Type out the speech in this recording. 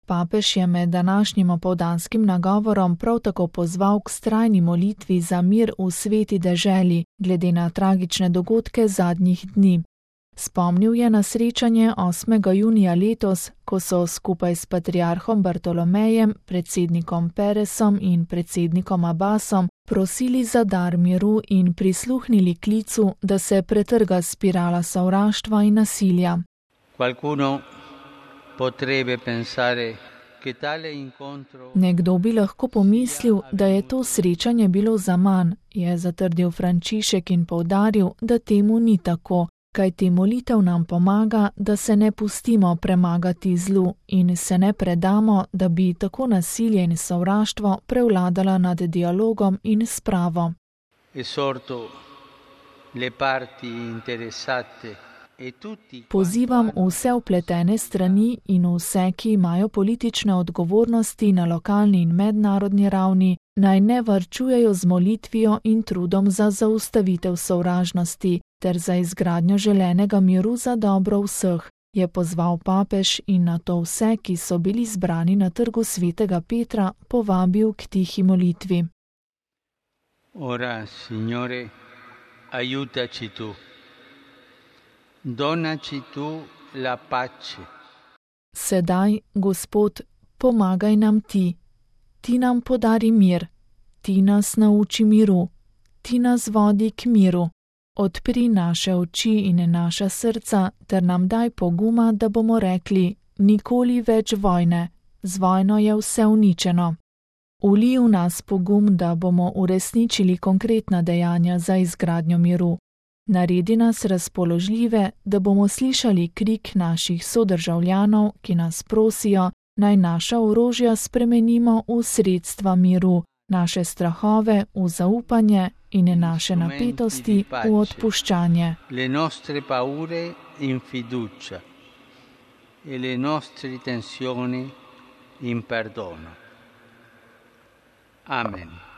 Papež je med današnjim opoldanskim nagovorom prav tako pozval k vztrajni molitvi za mir v sveti deželi, glede na tragične dogodke zadnjih dni. Spomnil je na srečanje 8. junija letos, ko so skupaj s patriarhom Bartolomejem, predsednikom Peresom in predsednikom Abbasom prosili za dar miru in prisluhnili klicu, da se pretrga spirala sovraštva in nasilja. Nekdo bi lahko pomislil, da je to srečanje bilo zaman, je zatrdil Frančišek in poudaril, da temu ni tako, kajti molitev nam pomaga, da se ne pustimo premagati zlu in se ne predamo, da bi tako nasilje in sovraštvo prevladala nad dialogom in spravo. Pozivam vse vpletene strani in vse, ki imajo politične odgovornosti na lokalni in mednarodni ravni, naj ne varčujejo z molitvijo in trudom za zaustavitev sovražnosti ter za izgradnjo želenega miru za dobro vseh, je pozval papež in nato vse, ki so bili zbrani na trgu svetega Petra, povabil k tihi molitvi. Ora, Signore, aiutaci tu. Donaci tu la pace. Sedaj, Gospod, pomagaj nam ti. Ti nam podari mir. Ti nas nauči miru. Ti nas vodi k miru. Odpri naše oči in naša srca ter nam daj poguma, da bomo rekli, nikoli več vojne. Z vojno je vse uničeno. Ulij v nas pogum, da bomo uresničili konkretna dejanja za izgradnjo miru. Naredi nas razpoložljive, da bomo slišali krik naših sodržavljanov, ki nas prosijo, naj naša orožja spremenimo v sredstva miru, naše strahove v zaupanje in naše napetosti v odpuščanje. Le nostre paure in fiducia e le nostre tensioni in perdono. Amen.